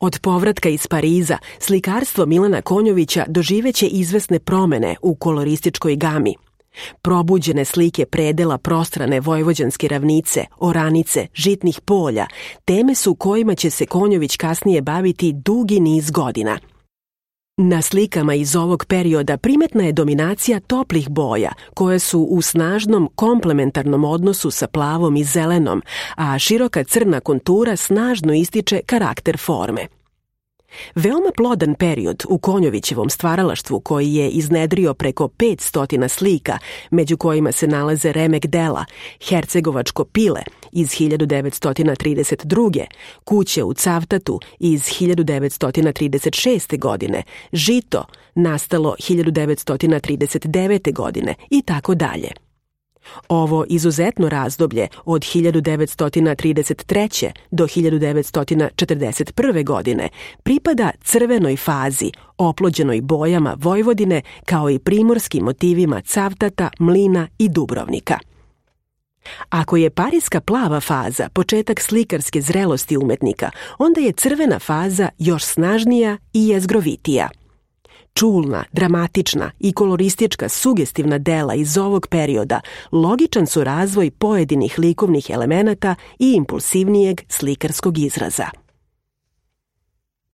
Od povratka iz Pariza, slikarstvo Milana Konjovića doživeće izvesne promene u kolorističkoj gami. Probuđene slike predela prostrane vojvođanske ravnice, oranice, žitnih polja, teme su kojima će se Konjović kasnije baviti dugi niz godina. Na slikama iz ovog perioda primetna je dominacija toplih boja, koje su u snažnom komplementarnom odnosu sa plavom i zelenom, a široka crna kontura snažno ističe karakter forme. Veoma plodan period u Konjovićevom stvaralaštvu, koji je iznedrio preko 500 slika, među kojima se nalaze remek dela, Hercegovačko pile iz 1932. Kuće u Cavtatu iz 1936. godine, Žito nastalo 1939. godine i tako dalje. Ovo izuzetno razdoblje od 1933. do 1941. godine pripada crvenoj fazi, oplođenoj bojama Vojvodine kao i primorskim motivima Cavtata, Mlina i Dubrovnika. Ako je parijska plava faza početak slikarske zrelosti umetnika, onda je crvena faza još snažnija i jezgrovitija. Čulna, dramatična i koloristička sugestivna dela iz ovog perioda logičan su razvoj pojedinih likovnih elemenata i impulsivnijeg slikarskog izraza.